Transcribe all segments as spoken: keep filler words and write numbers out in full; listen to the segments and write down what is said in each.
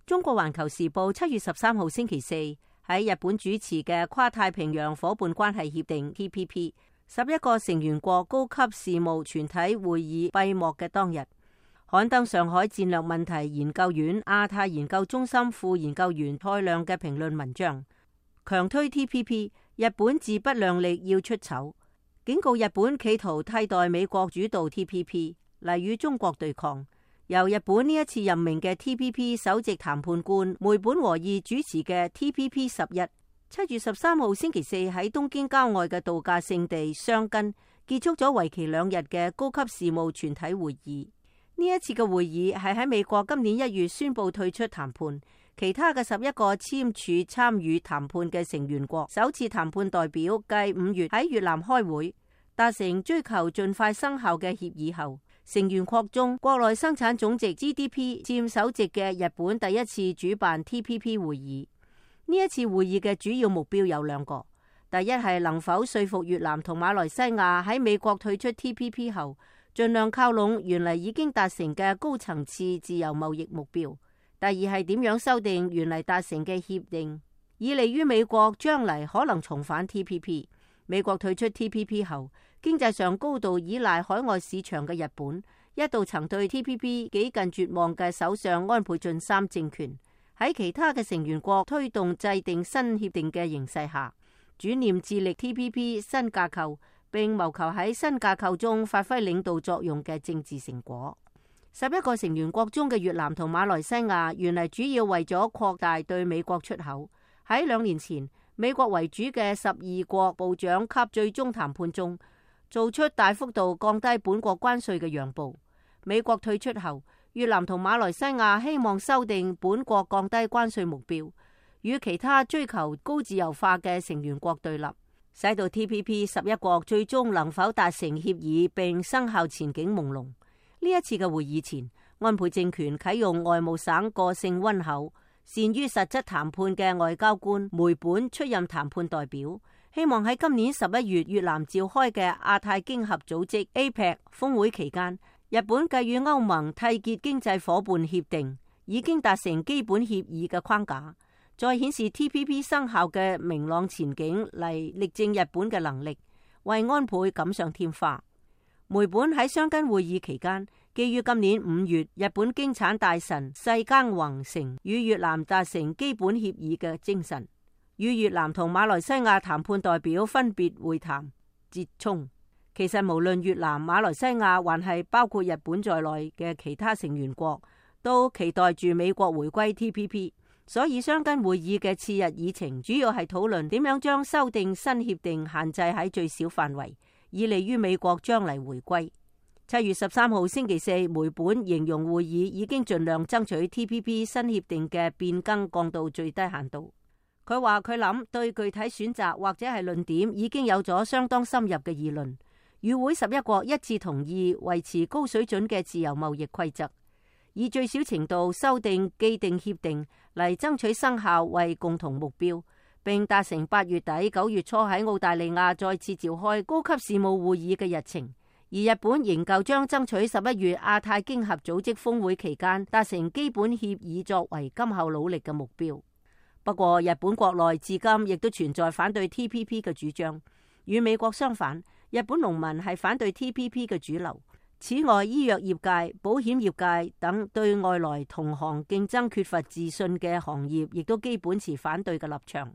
中國環球時報七月十三號星期四喺日本主持嘅跨太平洋夥伴關係協定 T P P 十一個成員國高級事務全體會議閉幕嘅當日，刊登上海戰略問題研究院亞太研究中心副研究員蔡亮嘅評論文章，強推 T P P， 日本自不量力要出醜，警告日本企圖替代美國主導 T P P 嚟與中國對抗。由日本呢一次任命嘅 T P P 首席談判官梅本和義主持嘅 T P P 十一，七月十三號星期四喺東京郊外嘅度假勝地箱根結束咗為期兩日嘅高級事務全體會議。呢一次嘅會議係喺美國今年一月宣布退出談判，其他嘅十一個簽署參與談判嘅成員國首次談判代表繼五月喺越南開會，達成追求盡快生效嘅協議後，成員國中國內生產總值 G D P 佔首席嘅日本第一次主辦 T P P 會議。呢一次會議嘅主要目標有兩個，第一係能否說服越南同馬來西亞喺美國退出 T P P 後，盡量靠攏原嚟已經達成嘅高層次自由貿易目標。第二係點樣修訂原嚟達成嘅協定，以利於美國將嚟可能重返 T P P。美國退出 T P P 後，經濟上高度依賴海外市場嘅日本，一度曾對 T P P 幾近絕望嘅首相安倍晉三政權，喺其他嘅成員國推動制定新協定嘅形勢下，轉念致力 T P P 新架構，並謀求喺新架構中發揮領導作用嘅政治成果。十一個成員國中嘅越南同馬來西亞，原嚟主要為咗擴大對美國出口。喺兩年前，美國為主嘅十二國部長級最終談判中，做出大幅度降低本國關稅嘅讓步。美國退出後，越南同馬來西亞希望修訂本國降低關稅目標，與其他追求高自由化嘅成員國對立，使到 T P P 十一國最終能否達成協議並生效前景朦朧。呢一次嘅會議前，安倍政權啟用外務省個性溫厚、善於實質談判嘅外交官梅本出任談判代表，希望喺今年十一月越南召開嘅亞太經合組織 A P E C 峰會期間，日本繼與歐盟締結經濟夥伴協定，已經達成基本協議嘅框架，再顯示 T P P 生效嘅明朗前景嚟力證日本嘅能力，為安倍錦上添花。梅本喺箱根會議期間，基於今年五月日本經產大臣世耕弘成與越南達成基本協議嘅精神，與越南同馬來西亞談判代表分別會談折衝。其實無論越南、馬來西亞還係包括日本在內嘅其他成員國，都期待住美國回歸 T P P， 所以箱根會議嘅次日議程主要係討論點樣將修訂新協定限制喺最小範圍，以利於美國將嚟回歸。七月十三號星期四，梅本形容會議已經盡量爭取 T P P 新協定嘅變更降到最低限度。佢話佢諗對具體選擇或者係論點已經有咗相當深入嘅議論。與會十一國一致同意維持高水準嘅自由貿易規則，以最小程度修訂既定協定嚟爭取生效為共同目標，並達成八月底九月初喺澳大利亞再次召開高級事務會議嘅日程。而日本仍舊將爭取十一月亞太經合組織峰會期間達成基本協議作為今後努力嘅目標。不過日本國內至今亦都存在反對 T P P 嘅主張，與美國相反，日本農民係反對 T P P 嘅主流。此外，醫藥業界、保險業界等對外來同行競爭缺乏自信嘅行業亦都基本持反對嘅立場。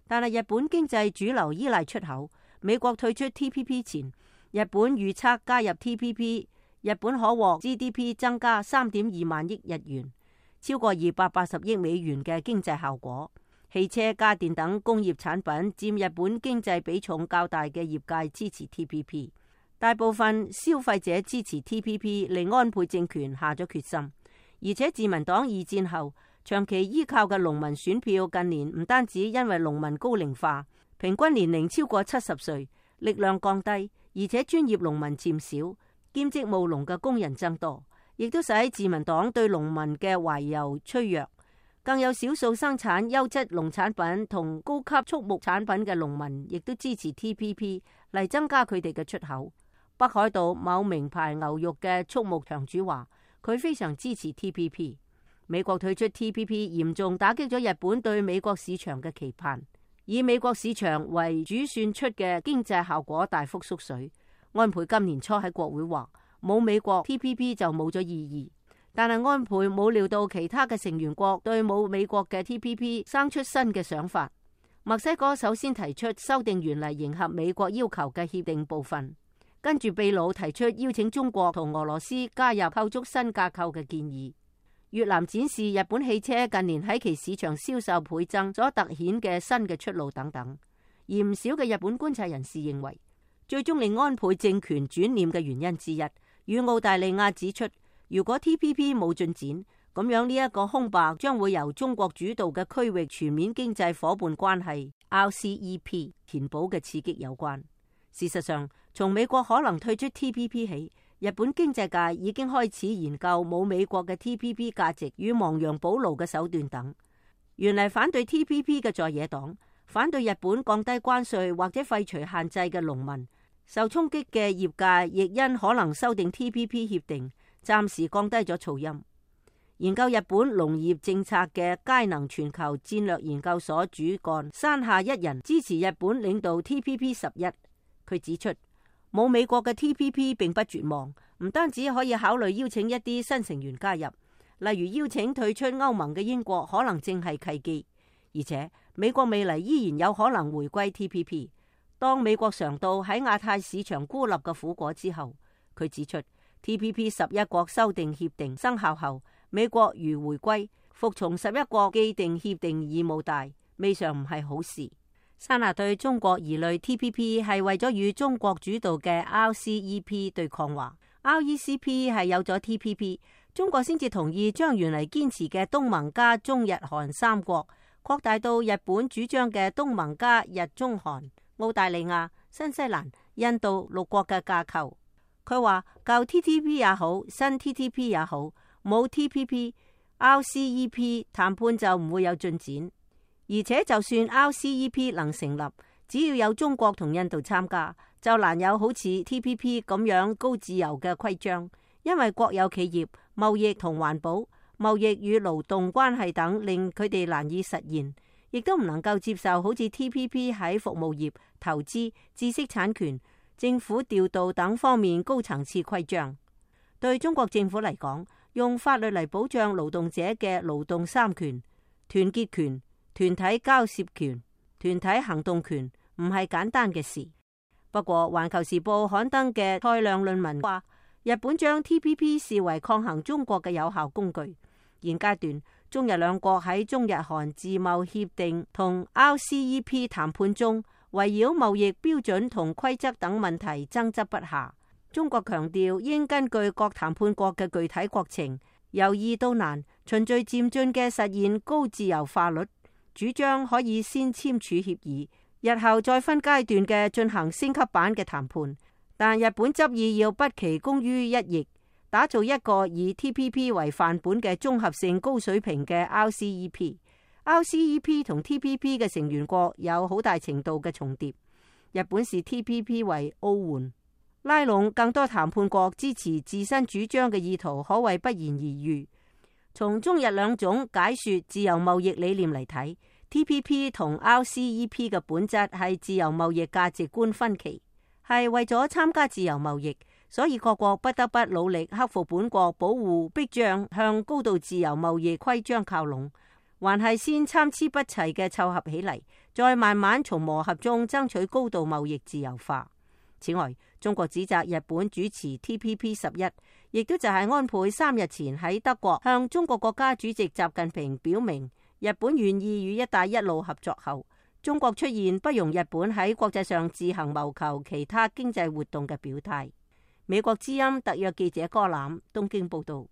但係日本經濟主流依賴出口，美國退出 T P P 前，日本預測加入 T P P， 日本可獲 G D P 增加三點二萬億日元，超過二百八十億美元嘅經濟效果。汽車、家電等工業產品佔日本經濟比重較大嘅業界支持 T P P， 大部分消費者支持 T P P， 令安倍政權下咗決心。而且自民黨二戰後長期依靠嘅農民選票，近年唔單止因為農民高齡化，平均年齡超過七十歲，力量降低，而且專業農民漸少，兼職務農嘅工人增多，亦都使自民黨對農民嘅懷柔趨弱。更有少數生產優質農產品同高級畜牧產品嘅農民，亦都支持 T P P 嚟增加佢哋嘅出口。北海道某名牌牛肉嘅畜牧場主話，佢非常支持 T P P。美國退出 T P P 嚴重打擊咗日本對美國市場嘅期盼，以美國市場為主算出嘅經濟效果大幅縮水。安倍今年初喺國會話，冇美國 T P P 就冇咗意義，但係安倍冇料到其他嘅成員國對冇美國嘅 T P P 生出新嘅想法。墨西哥首先提出修訂原嚟迎合美國要求嘅協定部分，跟住秘魯提出邀請中國同俄羅斯加入構築新架構嘅建議。越南展示日本汽車近年喺其市場銷售倍增所凸顯嘅新嘅出路等等。而唔少嘅日本觀察人士認為，最終令安倍政權轉念嘅原因之一，與澳大利亞指出，如果 T P P 冇進展，咁樣呢一個空白將會由中國主導嘅區域全面經濟夥伴關係 R C E P 填補嘅刺激有關。事實上，從美國可能退出 T P P 起，日本經濟界已經開始研究冇美國嘅 T P P 價值與亡羊補牢嘅手段等。原嚟反對 T P P 嘅在野黨，反對日本降低關稅或者廢除限制嘅農民，受衝擊嘅業界亦因可能修訂 T P P 協定，暫時降低咗噪音。研究日本農業政策嘅佳能全球戰略研究所主幹山下一人支持日本領導 T P P 十一。佢指出，冇美國嘅 T P P 並不絕望，唔單止可以考慮邀請一啲新成員加入，例如邀請退出歐盟嘅英國可能正係契機，而且美國未來依然有可能回歸 T P P。當美國嘗到喺亞太市場孤立嘅苦果之後，佢指出 T P P 十一國修訂協定生效後，美國如回歸，服從十一國既定協定義務大，未嘗唔係好事。山下對中國疑慮 T P P 係為咗與中國主導嘅 R C E P 對抗話 ，R E C P 係有咗 T P P， 中國先至同意將原嚟堅持嘅東盟加中日韓三國擴大到日本主張嘅東盟加日中韓、澳大利亞、新西蘭、印度六國嘅架構。佢話舊 T T P 也好，新 T T P 也好，冇 T P P、R C E P 談判就唔會有進展。而且就算 R C E P 能成立，只要有中國同印度參加，就難有好似 T P P 咁樣高自由嘅規章，因為國有企業、貿易同環保、貿易與勞動關係等令佢哋難以實現，亦都唔能夠接受好似 T P P 喺服務業、投資、知識產權、政府調度等方面高層次規章。對中國政府嚟講，用法律嚟保障勞動者嘅勞動三權、團結權、團體交涉權、團體行動權，唔係簡單嘅事。不過，《環球時報》刊登嘅蔡亮論文話，日本將 T P P 視為抗衡中國嘅有效工具。現階段，中日兩國喺中日韓自貿協定同 R C E P 談判中，圍繞貿易標準同規則等問題爭執不下。中國強調應根據各談判國嘅具體國情，由易到難，循序漸進嘅實現高自由化率。主張可以先簽署協議，日後再分階段嘅進行升級版嘅談判。但日本執意要不期功於一役，打造一個以 T P P 為範本嘅綜合性高水平嘅 R C E P。R C E P 同 T P P 嘅成員國有好大程度嘅重疊。日本視 T P P 為奧援，拉攏更多談判國支持自身主張嘅意圖，可謂不言而喻。從中日兩種解說自由貿易理念嚟睇， T P P 同 R C E P 嘅本質係自由貿易價值觀分歧，係為咗參加自由貿易，所以各國不得不努力克服本國保護逼將向高度自由貿易規章靠攏，還係先參差不齊嘅湊合起嚟，再慢慢從磨合中爭取高度貿易自由化。此外，中國指責日本主持 T P P 十一，亦都就係安倍三日前喺德國向中國國家主席習近平表明日本願意與一帶一路合作後，中國出現不容日本喺國際上自行謀求其他經濟活動嘅表態。美國之音特約記者柯攬東京報道。